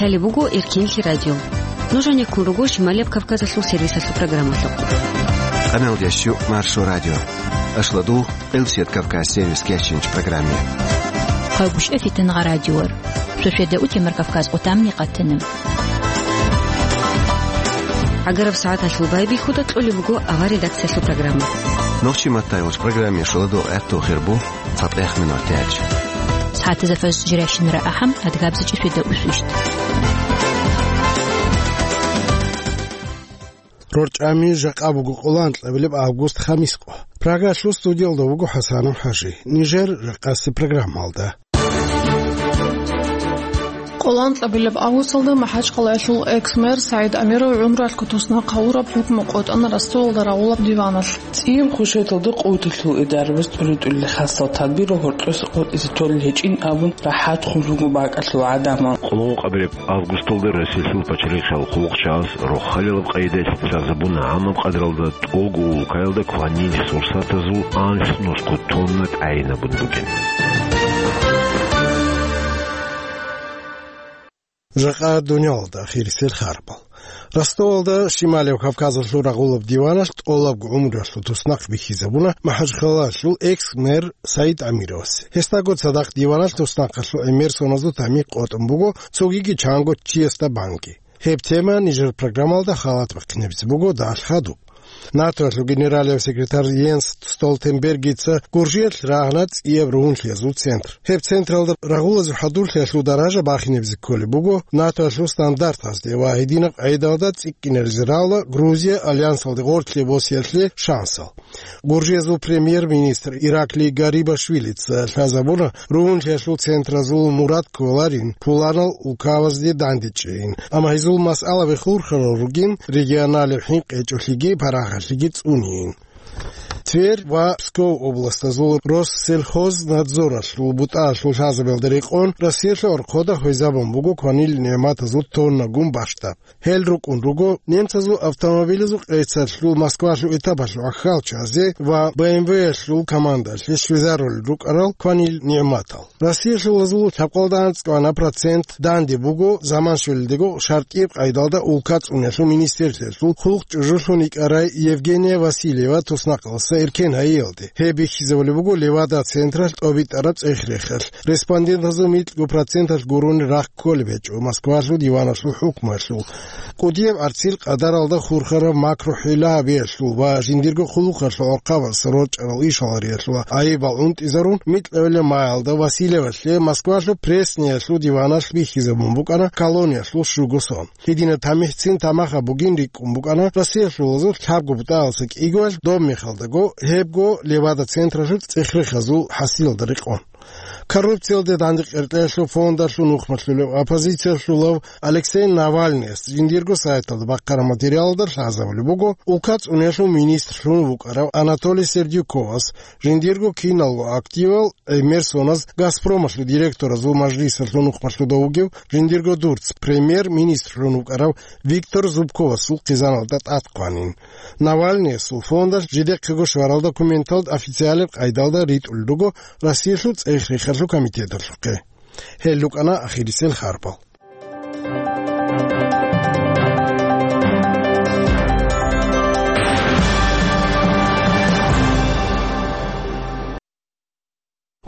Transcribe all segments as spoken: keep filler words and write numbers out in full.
Лъалеб буго Эркенлъи радио. Нуж гьанеккун руго Шималияб Кавказалъул сервисалъул программалъухъ. Къаналдящу Маршо радио. Ашладу, Къилсият Кавказ сервис кечинч программе. Къагушев Фитангъа радиор. Шошеда утемар Кавказ отамни къатанам. Агараб сагӀаталъул байбихьуда кьолеб буго авар редакциялъул программа. Нохчи маттайвуч программе шуладу гӀерту хирбу. ЦатӀех минут тяч. Сагьатизафаз жирашинра ахӀам, адгабзичӀи шведа усвищ. РорчӀами жакъа буго къоло анкьабилеб август, хамис къо. Прагалъул студиялда вуго ХӀасанов ХӀажи. Нижер жакъаси программалда. Къоло анкьабилеб августалда МахӀачхъалаялъул экс-мэр СагӀид Амиров гӀумруялъго туснахъ гьавураб хӀукму къотӀана Ростовалда рагъулаб диваналъ. ЦӀияб хушеталда къуваталъул идарабаз тӀури-тӀурили хасал тадбирал гьоркьоса къотӀизе толел гьечӀин абун рахӀат хъун руго бакӀалъул гӀадамал. Къоло анкьабилеб августалда Россиялъул пачалихъал хъулухъчагӀаз рохалилаб къайдаялъ лъазабуна гӀамаб къадралда тӀолго улкаялда кванил сурсатазул анлънусго тонна тӀагӀинабун бугин. Жакъа дуниялалда ахирисел харбал. Ростовалда Шималев Кавказалъул рагъулаб диваналъ тӀолабго гӀумруялъул туснахъ бихьизабуна МахӀачхъалаялъул экс-мэр СагӀид Амировасе. Гьесдаго цадахъ диваналъ туснахъалъул гӀемер соназул тамихӀ къотӀун буго, цогиги чанго чиясда банги. Гьеб тема нижер программалда халат бахъинабизе буго далъ хадуб. НАТОялъул генералияв секретарь Йенс Столтенбергица Гуржиялъ рагьана цӀияб ругьунлъиязул центр. Гьеб централда рагъулазул хӀадурлъиялъул даража бахинабизе кколеб буго НАТОялъул стандартазде ва гьединаб къайдалда цӀикӀкӀинаризе равла Грузия альянсалде гъорлъе босиялъе шансал. Гуржиязул премьер-министр Ираклий Гарибашвилица лъазабуна ругьунлъиялъул центразул мурад кколарин пуланал улкабазде дандечӀейин, амма гьезул масъалаби хурхарал ругин регионалияб хӀинкъи гьечӀолъиги парагьалъиги цӀунейин. Тверь ва Псков областазул Россельхознадзоралъул бутӀаялъул лъазабиялда рекъон Россиялъул орхъода хвезабун буго кванил нигӀматазул тоннагун бащдаб. Гьел рукӀун руго немцазул автомобилазул къецалъул Москвалъул этапалъул ахьалчазе ва Б М В-ялъул командалъе щвезарулел рукӀарал кванил нигӀматал. Россиялъулазул лъабкъалда анцӀкӀвана процент данде буго заман щвелалдего шартӀияб къайдалда улка цӀуниялъул министерствоялъул хъулухъ чӀужулъун йикӀарай Евгения Васильева туснахъалдаса эркен гьайиялде. Гьеб бихьизабулеб буго Левада централъ тӀобитӀараб цӀех-рехалъ. Респондентазул микьго проценталъ гурони рахъ кколеб гьечӀо Москвалъул диваналъул хӀукмуялъул. КӀудияб гӀарцил къадаралда хурхараб макру-хӀила гьабиялъул ва жиндирго хъулухъалъул гӀорхъабаз рорчӀарал ишгьалариялъул гӀайибал унтӀизарун, микьабилеб маялда Васильевалъе Москвалъул Пресниялъул диваналъ бихьизабун букӀана колониялъул щуго сон. Гьединаб тамихӀцин тамахаб бугин рикӀкӀун букӀана Россиялъулазул лъабго бутӀаялдаса кӀигоялъ, доб мехалдаго гьебго Левада централъул цӀех-рехазул хӀасилалда рекъон. Коррупциялде дандекъеркьеялъул фондалъул нухмалъулев оппозициялъулав Алексей Навальныяс жиндирго сайталда бахъараб материалалда лъазабулеб буго, улка цӀуниялъул министрлъун вукӀарав Анатолий Сердюковас жиндирго киналго активал гӀемер соназ Газпромалъул директоразул мажлисалъул нухмалъуда вугев жиндирго дурц премьер-министрлъун вукӀарав Виктор Зубковасул хъизаналда тӀад хъванин. Навальныясул фондалъ жидехъего щварал документал официалеб къайдалда ритӀулел руго Россиялъул цӀех-рехалъул комитеталъухъе. Гьел рукӀана ахирисел харбал.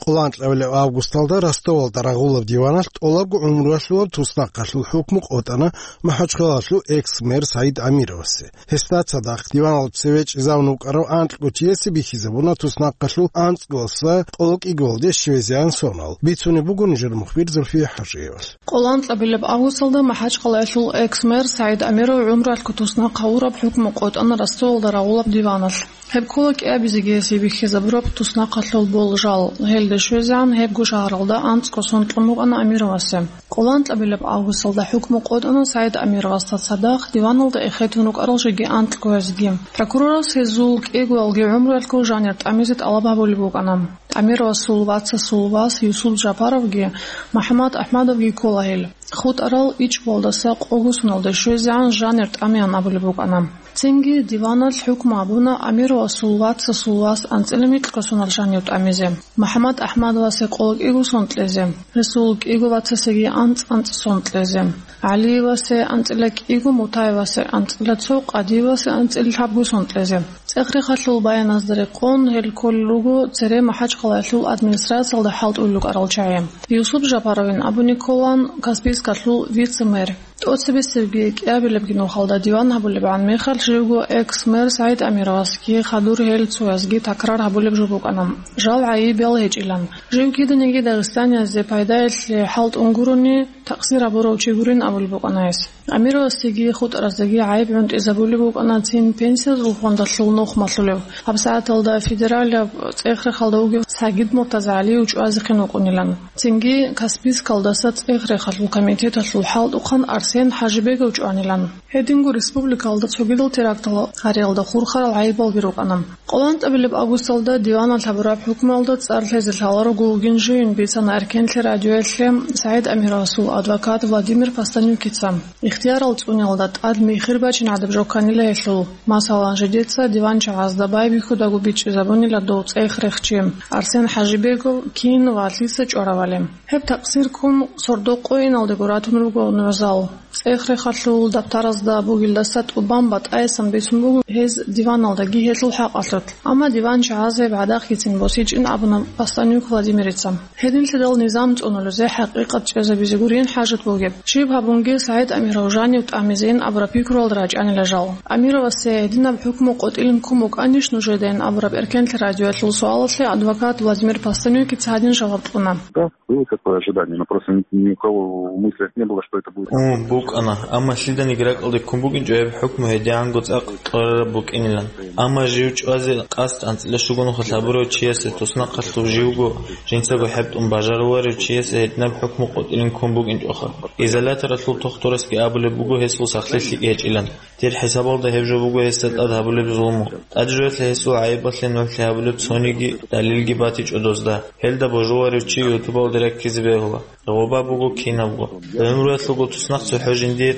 Къоло анкьабилеб августалда Ростовалда рагъулаб диваналъ тӀолабго гӀумруялъулаб туснахъалъул хӀукму къотӀана МахӀачхъалалъул экс-мэр СагӀид Амировасе. Гьесда цадахъ диваналда цеве чӀезавун вукӀарав анкьго чиясе бихьизабуна туснахъалъул анцӀгоялдаса къоло кӀигоялде щвезегӀан сонал. Бицунеб буго нижер мухбир Зульфия ХӀажиевалъ. Къоло анкьабилеб августалда МахӀачхъалаялъул экс-мэр СагӀид Амиров гӀумруялъго туснахъ гьавураб хӀукму къотӀана Ростовалда рагъулаб диваналъ. Гьеб ккола кӀиабизеги гьесие бихьизабураб туснахъалъул болжал. Гьелде щвезегӀан гьебго шагьаралда анцӀго сон кьун букӀана Амировасе. Къоло анкьабилеб августалда хӀукму къотӀана СагӀид Амировасда цадахъ диваналда эхетун рукӀарал жеги анкьгоязеги. Прокурорас гьезул кӀигоялги гӀумруялъго жанир тӀамизе тӀалаб гьабулеб букӀана. Амировасул вацасул вас Юсуп Жапаровги МухӀаммад АхӀмадовги ккола гьел. ХутӀарал ичӀбалдаса къого соналде щвезегӀан жанир тӀамеян абулеб букӀана. Цинги диваналъ хӀукму гьабуна Амировасул вацасул вас анцӀила микьго сонал жанив тӀамизе, МухӀаммад АхӀмадовасе къоло кӀиго сон кьезе, гьесул кӀиго вацасеги анцӀ-анцӀ сон кьезе. ГӀалиевасе анцӀила кӀиго, Мутаевасе анцӀила цо, Къадиевасе анцӀила лъабго сон кьезе. ЦӀех-рехалъул баяназда рекъон, гьел кколел руго цере МахӀачхъалаялъул администрациялда хӀалтӀулел рукӀарал чагӀи. Юсуп Жапаровин абуни кколаан Каспийскалъул вице-мэр. ТӀоцебесебги кӀиабилебги нухалда диван гьабулебгӀан мехалъ живго экс-мэр СагӀид Амировасги хадур гьел цоязги такрар гьабулеб жо букӀана, жал гӀайибал гьечӀилан. Жив киданиги дагъистаниязде пайдаялъе хӀалтӀун гурони, такъсир гьабурав чи гурин абулеб букӀана гьес. Амировасдеги хутӀараздаги гӀайиб гӀунтӀизабулеб букӀана цин пенсиялъул фондалъул нух малъулев, гьабсагӀаталда федералияб цӀех-рехалда вугев Сагид МуртазагӀалиев чӀвазехъин вукӀунилан. Цинги Каспийскалдаса цӀех-рехалъул комитеталъул хӀалтӀухъан Арсен ХӀажибегов чӀванилан. Гьединго республикалда цогидал терактал гьариялда хурхарал гӀайибалги рукӀана. КъоланцӀабилеб августалда диваналъ гьабураб хӀукмуялда цӀар лъезе лъаларого вугин живин бицана Эркенлъи радиоялъе СагӀид Амировасул адвокат Владимир Постанюкица. Ихтиярал цӀуниялда тӀад михир бачин гӀадаб жо кканила гьелъул. Масалан, жидеца диванчагӀазда байбихьудаго бичӀчӀизабунила дов цӀех-рехчи Арсен ХӀажибегов кин ва лъица чӀваравали. Гьеб такъсир ккун сордо къойиналдего ратун руго нугӀзал. ЦӀех-рехалъул дабтаразда бугелдаса тӀубан батӀаясан бицун буго гьез диваналдаги гьелъул хӀакъалъулъ. Амма диванчагӀаз гьеб гӀадахъгицин босичӀин абуна Постанюк Владимирица. Гьединлъидал низам цӀунулезе хӀакъикъат чӀезабизе гурин хӀажат бугеб. Щиб гьабунги СагӀид Амиров жанив тӀамизейин абураб пикруялда рачӀанила жал. Амировасе гьединаб хӀукму къотӀилин ккун букӀанищ нужедайин абураб Эркенлъи радиоялъул суалалъе адвокат Владимир Постанюкица гьадин жаваб кьуна. Да, было такое ожидание, но просто ни, ни у кого в мыслях не было, что это будет. Ун, букӀана, амма лъиданиги ракӀалде ккун букӀинчӀо гьеб хӀукму гьедигӀанго цӀакъ кьурараб букӀинилан. Амма жив чӀвазе къасд анцӀила щуго нухалъ гьабурав чиясе туснахъалъув живго жинцаго хӀебтӀун бажаруларев чиясе гьединаб хӀукму къотӀилин ккун букӀинчӀоха. Изоляторалъул тухтурасги абулеб буго гьесул сахлъи лъикӀ гьечӀилан. Дир хӀисабалда гьеб жо буго гьесда тӀад гьабулеб зулму. ТӀаде жоялъе гьесул гӀайибалъе нугӀлъи гьабулеб цониги далилги батичӀо дозда. Гьелда божуларев чи ютубалде раккизе бегьула. Гъоба буго кинабго. ГӀумруялъулго туснахъ цохӀо жиндие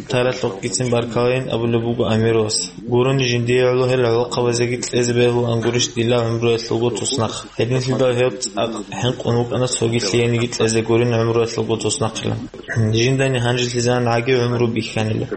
таралъухъгицин баркалайин абулеб буго Амировас. Гурони жиндие гӀоло гьел гӀолохъабазеги кьезе бегьулан гурищ дила гӀумруялъулго туснахъ. Гьединлъидал гьев цӀакъ хӀинкъун вукӀана цоги лъиениги кьезе гурин гӀумруялъулго туснахъилан. Жиндани гьанжелъизан гӀаги гӀумру бихьанила.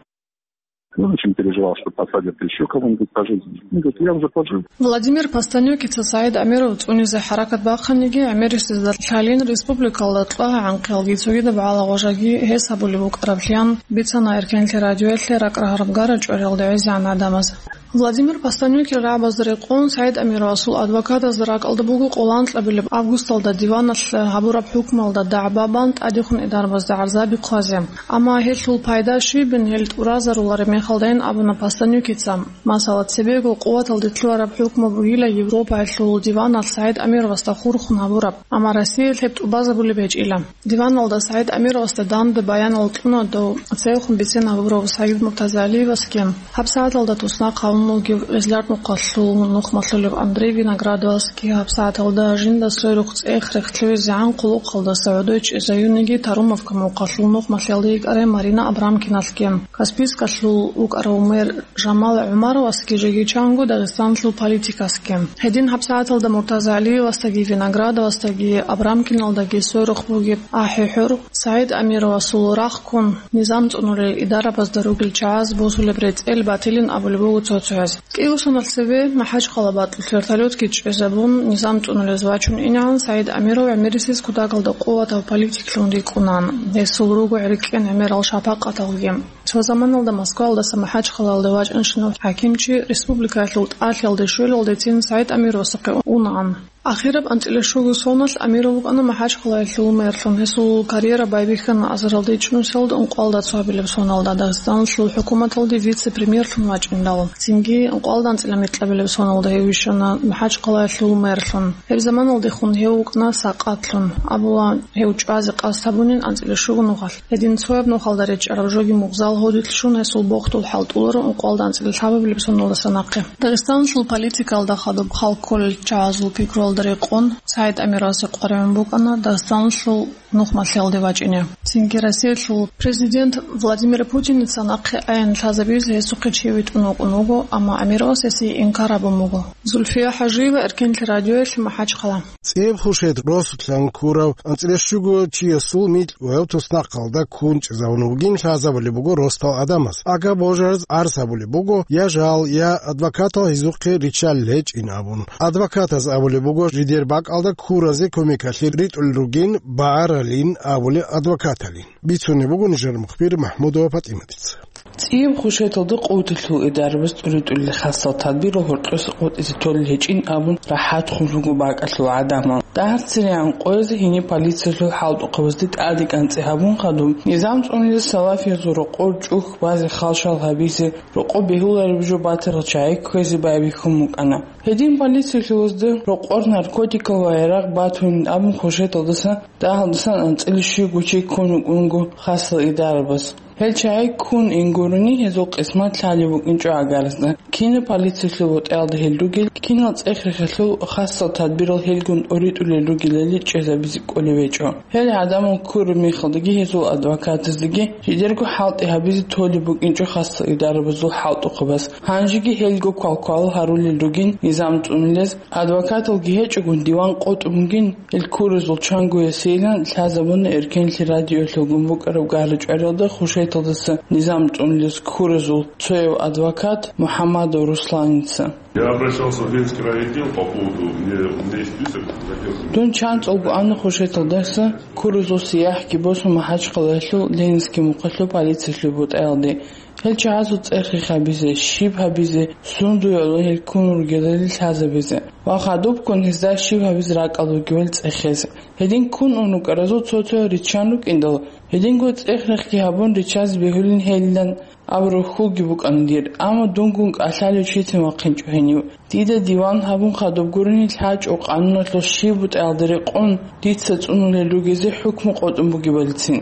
Он очень переживал, что посадят еще кого-нибудь пожизненно. Он говорит: «Я уже пожил». Владимир Постанюкица СагӀид Амиров цӀунизе хӀаракат бахъаниги, гӀемерисезда лъалин республикалда кьвагӀанхъиялги цогидаб гӀалагъважаги гьес гьабулеб букӀараблъиян бицана Эркенлъи радиоялъе ракӀ рагьараб гара чӀвариялда гӀезегӀан гӀадамаз. Владимир Постанюкил рагӀабазда рекъон СагӀид Амировасул адвокатазда ракӀалда буго къоланкьабилеб августалда диваналъ гьабураб хӀукмуялда дагӀба бан тӀадехун идарабазда гӀарзаби хъвазе. Амма гьелъул пайда щибин гьел тӀуразарулареб мехалдайин абуна Постанюкица. Масала, цебего къуваталде лъугьараб хӀукму бугила Европаялъул диваналъ СагӀид Амировасда хурхун гьабураб, амма Россиялъ гьеб тӀубазабулеб гьечӀила. Диваналда СагӀид Амировасда данде баянал кьуна дов цевехун бицен гьабурав Сагид Муртазалиевасги, гьабсагӀаталда туснахъ гьавун вугев Эзлар нухалъул нухмалъулев Андрей Виноградовасги, гьабсагӀаталда жинда сверухъ цӀех-рех лъугӀизегӀан хъулухъалдаса гӀодой чӀезаюнниги Тарумовка мухъалъул нухмалъиялда йикӀарай Марина Абрамкиналъги, Каспийскалъул вукӀарав мэр Жамал ГӀумаровасги жеги чанго Дагъистаналъул политикасги. Гьедин гьабсагӀаталда МуртазагӀалиевасдаги Виноградовасдаги Абрамкиналдаги сверухъ бугеб ахӀи-хӀур, СагӀид Амировасул рахъ ккун, низам цӀунулел идарабазда ругел чагӀаз босулеб рецӀел батилин абулеб буго цо-цояз. КӀиго соналъ цебе МахӀачхъала бакьулъ вертолетги чӀезабун, низам цӀунулез вачун инегӀан, СагӀид Амиров гӀемерисез кутакалда къуватав политиклъун рикӀкӀунаан. Гьесул руго гӀеркӀен гӀемерал шапакъаталги. Цо заманалда Москваялдаса МахӀачхъалаялде вачӀанщинав хӀакимчи республикаялъул тӀалъиялде щвелалдецин СагӀид Амировасухъе унаан. Ахираб анцӀила щуго соналъ Амиров вукӀана МахӀачхъалаялъул мэрлъун. Гьесул карьера байбихьана азаралда ичӀнусиялда ункъоялда цоабилеб соналда Дагъистаналъул хӀукуматалде вице-премьерлъун вачӀиндал. Цинги ункъоялда анцӀила микьабилеб соналда гьев вищана МахӀачхъалаялъул мэрлъун. Гьеб заманалдехун гьев вукӀана сакъатлъун. Абула, гьев чӀвазе къасд гьабунин анцӀила щуго нухалъ. Гьедин цояб нухалда речӀараб жоги мугъзал гьодилъ щун гьесул бохдул хӀалтӀуларо ункъоялда анцӀила лъабабилеб соналдаса нахъе. Дагъистаналъул политикаялда хадуб хал кколел чагӀазул пикруялда рекъон, СагӀид Амировасе къваригӀун букӀана Дагъистаналъул нухмалъиялде вачӀине. Цинги Россиялъул президент Владимир Путиница нахъе аян лъазабизе гьесухъе чи витӀун вукӀун вуго, амма Амировас гьесие инкар гьабун буго. Зульфия ХӀажиева, Эркенлъи радиоялъ, МахӀачхъала. ЦӀияб хушет росулъан ккурав анцӀила щуго чиясул микь гьев туснахъалда ккун чӀезавун вугин лъазабулеб буго росдал гӀадамаз. Ага божараз гӀарз гьабулеб буго, я жал, я адвокатал гьезухъе риччалел гьечӀин абун. Адвокатаз абулеб буго, жидер бакӀалда ккуразе кумекалъе ритӀулел ругин, багӀаралин абулеб адвокаталин. Бицунеб буго нижер мухбир МахӀмудова ПатӀиматица. ЦӀияб хушеталда къуваталъул идарабаз тӀуритӀулел хасал тадбирал гьоркьоса къотӀизе толел гьечӀин абун рахӀат хун руго бакӀалъул гӀадамал. ДагӀарцинегӀан къоязе гьениб полициялъул хӀалтӀухъабазде тӀаде кӀанцӀи гьабун хадуб, низам цӀунулел салафиязул рокъор чӀухь базе халшал гьабизе, рокъоб бегьулареб жо батарал чагӀи кквезе байбихьун букӀана. Гьедин полициялъулазда рокъор наркотикал ва гӀерагъ батунин абун хушеталдаса дагьалдасан анцӀила щуго чи ккун вукӀунго хасал идарабаз. Гьел чагӀи ккун ин гурони, гьезул къисмат лъалеб букӀинчӀо гӀагарзда. Кинаб полициялъул бутӀаялда гьел ругел, кинал цӀех-рехалъул хасал тадбирал гьелгун тӀуритӀулел ругелали чӀезабизе кӀолеб гьечӀо. Гьел гӀадамал ккураб мехалдаги гьезул адвокатаздаги жидерго хӀалтӀи гьабизе толеб букӀинчӀо хасал идарабазул хӀалтӀухъабаз. Гьанжеги гьелго квалквал гьарулел ругин низам цӀунулез, адвокаталги гьечӀогун диван къотӀун бугин. Гьел ккуразул чанго ясилан лъазабуна Эркенлъи радиоялъулгун букӀараб гара-чӀвариялда хушеталдаса низам цӀунулез ккуразул цояв адвокат МухӀаммадов Русланица. Я обращался в Ленинский райотдел по поводу, мне, у меня есть список, хотел бы. Дун чанцӀалго ана хушеталдаса ккуразул сияхӀги босун МахӀачхъалаялъул Ленинский мухъалъул полициялъул бутӀаялде. Гьел чагӀазул цӀех-рехабизе, щиб гьабизе, сундуе гӀоло гьел ккун ругелали лъазабизе ва хадубккун гьезда щиб гьабизе ракӀалда вугевали цӀехезе. Гьедин ккун ун рукӀаразул цо-цо риччан рукӀиндал, гьединго цӀех-рехги гьабун риччазе бегьулин гьелилан абураб хьулги букӀана дир, амма дунгун кӀалъалев чицин вахъинчӀо гьенив. Дида диван гьабун хадуб гурони лъачӀо къануналъул щиб бутӀаялда рекъон дица цӀунулел ругезе хӀукму къотӀун бугебалицин.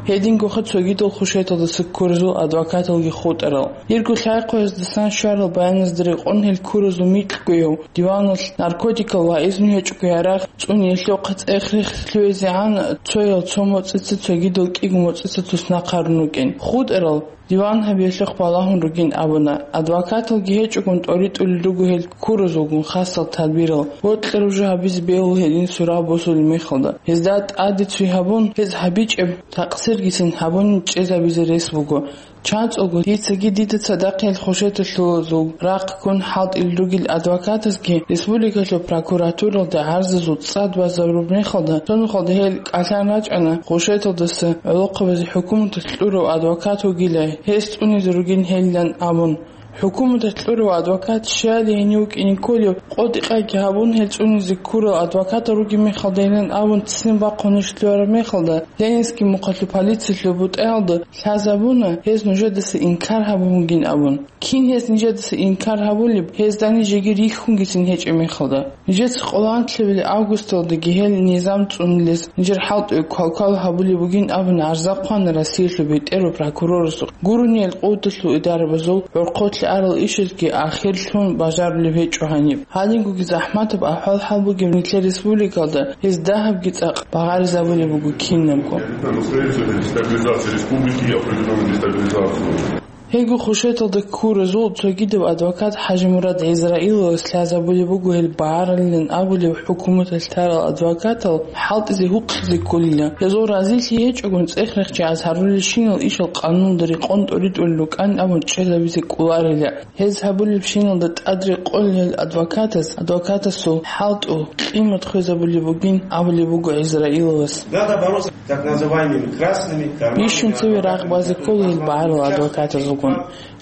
Гьедингоха цогидал хушеталдаса ккуразул адвокаталги хутӀарал. Дирго лъай-хъвездасан щварал баяназда рекъон гьел ккуразул микьгояв диваналъ наркотикал ва изну гьечӀого гӀерагъ цӀуниялъухъ цӀех-рех лъугӀизегӀан цоял цо моцӀица цогидал кӀиго моцӀица туснахъ гьарун рукӀин. ХутӀарал диван гьабиялъухъ балагьун ругин абуна. Адвокаталги гьечӀогун тӀоритӀулел руго гьел ккуразулгун хасал тадбирал. Бокьараб жо гьабизе бегьула гьедин сурал босулеб мехалда. Гьезда тӀаде цой гьабун, гьез гьабичӀеб такъсиргицин гьабунин чӀезабизе рес буго. ЧанцӀулго дицаги дида цадахъ гьел хушеталъулазул рахъ ккун хӀалтӀулел ругел адвокатазги республикалъул прокуратуралда гӀарзазул цӀад базарулеб мехалда, цо нухалда гьел кӀалъан рачӀана, хушеталдаса гӀолохъабазе хӀукуматалъ кьурав адвокат вугила, гьес цӀунизе ругин гьелилан абун. ХӀукуматалъ кьурав адвокат щали гьенив вукӀине кколев, къотӀи-къайги гьабун, гьел цӀунизе ккурал адвокатал ругеб мехалда гьелин абун ццин бахъунищ лъугьараб мехалда, Ленинский мухъалъул полициялъул бутӀаялда лъазабуна, гьез нужедаса инкар гьабун бугин абун. Кин гьез нижедаса инкар гьабулеб, гьезда нижеги рихьунгицин гьечӀеб мехалда? Нижеца къоло анлъабилеб августалдаги гьел низам цӀунулез нижер хӀалтӀуе квалквал гьабулеб бугин абун гӀарза хъвана Россиялъул бетӀерав прокурорасухъ. Гурони гьел къуваталъул идарабазул гӀорхъолъи арал ишазги ахирлъун бажарулеб гьечӀо гьаниб. Гьадингоги захӀматаб ахӀвал-хӀал бугеб нилъер республикалда гьез дагьабги цӀакъ багъаризабулеб буго кинабго. Настроение дестабилизации республики, определённую дестабилизацию. Гьелго хушеталда ккуразул цогидав адвокат ХӀажимурад ГӀизраиловас лъазабулеб буго гьел багъаралилан абулеб хӀукуматалъ тарал адвокатал хӀалтӀизе гьукъизе кколила. Гьезул разилъи гьечӀогун цӀех-рехчи азарулелщинал ишал къануналда рекъон тӀоритӀулел рукӀан абун чӀезабизе кӀоларила. Гьез гьабулебщиналда тӀад рекъолел адвокатас адвокатасул хӀалтӀул къимат хвезабулеб бугин абулеб буго ГӀизраиловас. Надо бороться так называемыми красными карманами. Бищун цеве рагъ базе ккола гьел багӀарал адвокатазулгун.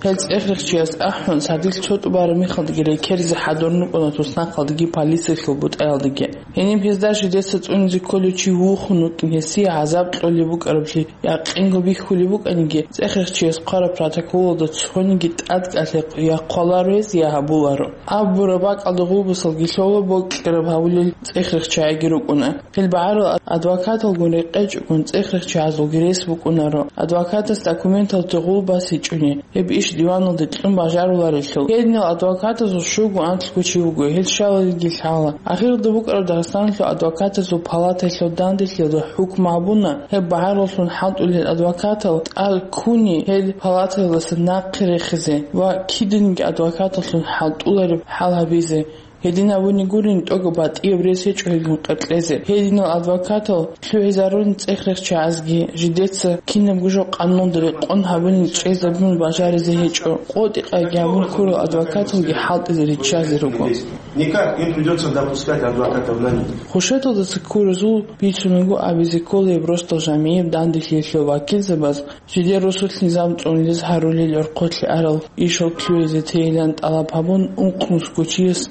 Гьел цӀех-рехчияс ахӀун, сардилъ цо тӀубараб мехалдаги рекеризе хӀадурун рукӀуна туснахъалдаги полициялъул бутӀаялдаги. Гьениб гьезда жидеца цӀунизе кколев чи вухун вукӀин, гьесие гӀазаб кьолеб букӀараблъи якъинго бихьулеб букӀаниги, цӀех-рехчияс хъвараб протоколалда цониги тӀад кӀалъе я хъваларо гьес, я гьабуларо. Абураб бакӀалда гъулбасалги лъола, бокьараб гьабулел цӀех-рехчагӀиги рукӀуна. Гьел багӀарал адвокаталгун рекъечӀогун цӀех-рехчагӀазулги рес букӀунаро. Адвокатас документалде гъулбас гьечӀони, гьеб иш диваналде кьун бажаруларелъул. Гьединал адвокатазул щуго анлъго чи вуго, гьел щалалиги лъала. Ахиралда букӀараб Дагъистаналъул адвокатазул палатаялъул данделъиялда хӀукму гьабуна, гьеб багӀараллъун хӀалтӀулел адвокатал тӀад ккуни гьел палатаялдаса нахъе рехизе ва киданиги адвокаталлъун хӀалтӀулареб хӀал гьабизе. Гьедин абуни гурин, тӀокӀаб батӀияб рес гьечӀо гьелгун къеркьезе. Гьединал адвокатал лъугӀизарун цӀех-рехчагӀазги, жидеца кинабго жо къануналда рекъон гьабуни чӀезабун бажаризе гьечӀо. КъотӀи-къайги гьабун ккурал адвокаталги хӀалтӀизе риччазе руго. Никак, им придётся допускать адвокатов на них. Хушеталдаса ккуразул бицунаго абизе кколеб росдал жамигӀеб данделъиялъул вакилзабаз жидер росулъ низам цӀунилез гьарулел орхъолъи арал ишал лъугӀизе тейилан тӀалаб гьабун, ункънусго чияс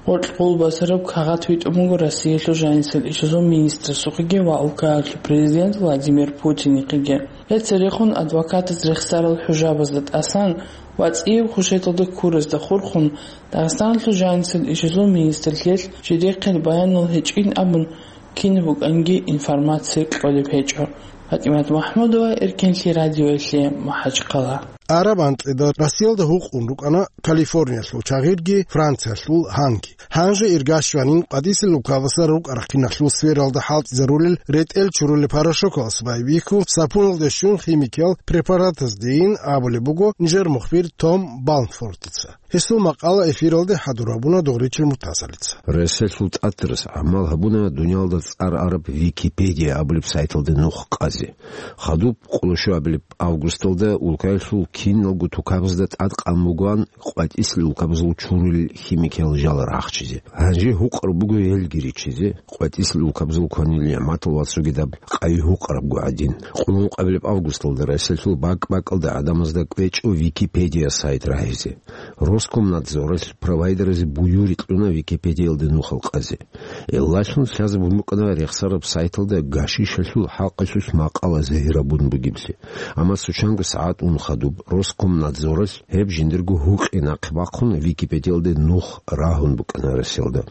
гъоркь гъулбасараб кагъат витӀун буго Россиялъул жанисел ишазул министрасухъеги ва улкаялъул президент Владимир Путинихъеги. Гьеб церехун адвокатаз рехсарал хӀужабазда тӀасан ва цӀияб хушеталда ккуразда хурхун, Дагъистаналъул жанисел ишазул министрлъиялъ жидехъе баянал гьечӀин абун, кинаб букӀанги информация кьолеб гьечӀо. ПатӀимат МахӀмудова, Эркенлъи радиоялъе, МахӀачхъала. Араб анкьида Россиялда гьукъун рукӀана Калифорниялъул чагъирги Франциялъул гьанги. Гьанже иргащванин къватӀисел улкабазда рукӀарахъиналъул сфералда хӀалтӀизарулел ретӀел чурулел порошокалас байбихьун, сапуналде щун химикиял препаратаздейин абулеб буго нижер мухбир Том Балмфортица. Гьесул макъала эфиралде хӀадур гьабуна Дугъричил Муртазалица. Россиялъул тӀатарас гӀамал гьабуна дуниялда цӀар араб Википедия абулеб сайталде нух къазе. Хадуб къоло щуабилеб августалда улкаялъул киналго тукабазда тӀадкъан бугоан къватӀисел улкабазул чурулел химикиял жал рахчизе. Гьанже гьукъараб буго гьелги риччазе, къватӀисел улкабазул кванил нигӀматал ва цогидаб къайи гьукъарабго гӀадин. Къуллукъабилеб августалда Россиялъул бакӀ-бакӀалда гӀадамазда кӀвечӀо Википедия сайт рагьизе. Роскомнадзоралъ провайдеразе буюри кьуна Википедиялде нухал къазе. Гьелдалъун лъазабун букӀана рехсараб сайталда гашишалъул хӀакъалъулъ макъала загьирабун бугеблъи. Амма цо чанго сагӀат ун хадуб Роскомнадзоралъ гьеб жиндирго гьукъи нахъе бахъун Википедиялде нух рагьун букӀана Россиялда.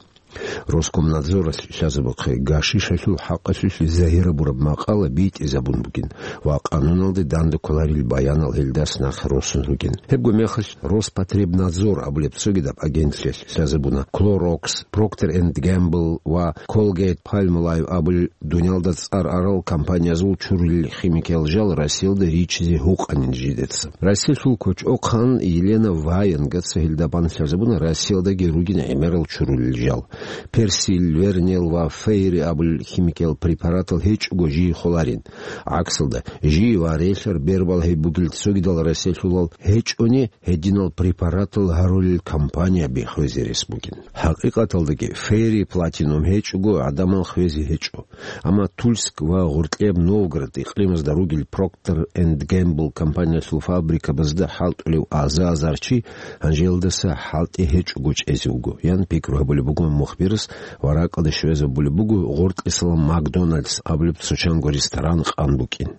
Роскомнадзоралъ лъазабухъе гашишалъул хӀакъалъулъ загьирабураб макъала битӀизабун бугин ва къануналде данде кколарил баянал гьелдас нахъе росун ругин. Гьебго мехалъ Роспотребнадзор абулеб цогидаб агентлъиялъ лъазабуна Clorox, Procter and Gamble ва Colgate-Palmolive абулел дуниялда цӀар арал компаниязул чурулел химикиял жал Россиялда риччизе гьукъанин жидеца. Россиялъул кочӀохъан Елена Ваенгаца гьелда бан лъазабуна Россиялдаги ругин гӀемерал чурулел жал. Персил, Вернел ва Фейри абулел химикиял препаратал гьечӀого жий холарин. ГӀаксалда, жий ва релълъар бербал гьеб бугел цогидал Россиялъулал гьечӀони, гьединал препаратал гьарулел компания биххвезе рес бугин. ХӀакъикъаталдаги, Фейри платинум гьечӀого гӀадамал хвезе гьечӀо. Амма Тульск ва Гъоркьеб Новгород икълимазда ругел Procter and Gamble компаниялъул фабрикабазда хӀалтӀулев аза-азар чи гьанжелдаса хӀалтӀи гьечӀого чӀезе вуго, ян пикру гьабулеб буго мухбирас ва ракӀалде щвезабулеб буго Гъоркьисалан Макдоналдс абулеб цо чанго ресторан къан букӀин.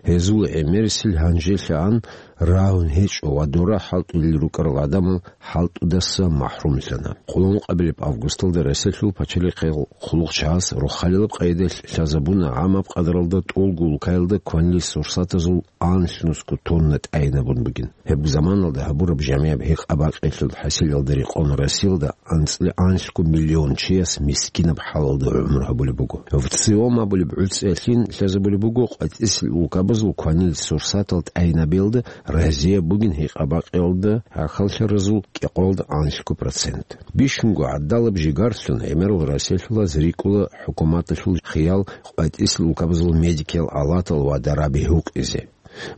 Гьезул гӀемерисел гьанжелъагӀан рагьун гьечӀо ва дора хӀалтӀулел рукӀарал гӀадамал хӀалтӀудаса махӀрумлъана. Къуллукъабилеб августалда Россиялъул пачалихъел хъулухъчагӀаз рохалилаб къайдалъ лъазабуна гӀамаб къадралда тӀолго улкаялда кванил сурсатазул анлънусго тонна тӀайинабун бугин. Гьеб заманалда гьабураб жамигӀаб гьекъа-бакъиялъул хӀасилалда рекъон Россиялда анцӀила анлъго миллион чияс мискинаб хӀалалда гӀумру гьабулеб буго. ВЦИОМ абулеб гӀуцӀиялъин лъазабулеб буго къватӀисел улкабазул кванил сурсатал тӀайинабиялда разияб бугин гьекъа-бакъиялда гӀахьаллъаразул кӀикъоялда анлъго процент. Бищунго гӀадалаб жигарлъун гӀемерал Россиялъулаз рикӀкӀула хӀукуматалъул хиял къватӀисел улкабазул медикиял алатал ва дараби гьукъизе.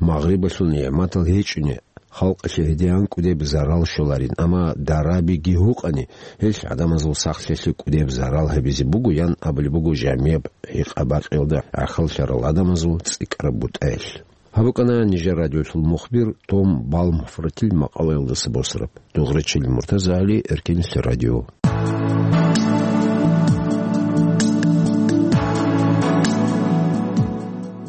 Магърибалъул нигӀматал гьечӀони, халкъалъе гьедигӀан кӀудеб зарал щоларин, амма дарабиги гьукъани, гьелъ гӀадамазул сахлъиялъе кӀудеб зарал гьабизе буго, ян абулеб буго жамигӀаб гьекъа-бакъиялда гӀахьаллъарал гӀадамазул цӀикӀкӀараб бутӀаялъ. Гьаб букӀана нижер радиолъул мухбир Том Балмфортил макъалаялдаса босараб. Дугърачил Муртазагьали, Эркенлъи радио.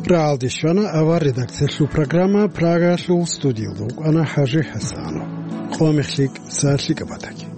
Рагьалде щвана авар редакциялъул программа, Прагалъул студиялда вукӀана ХӀажи ХӀасанов. Къо мехлъи, са лъикӀаб батаги.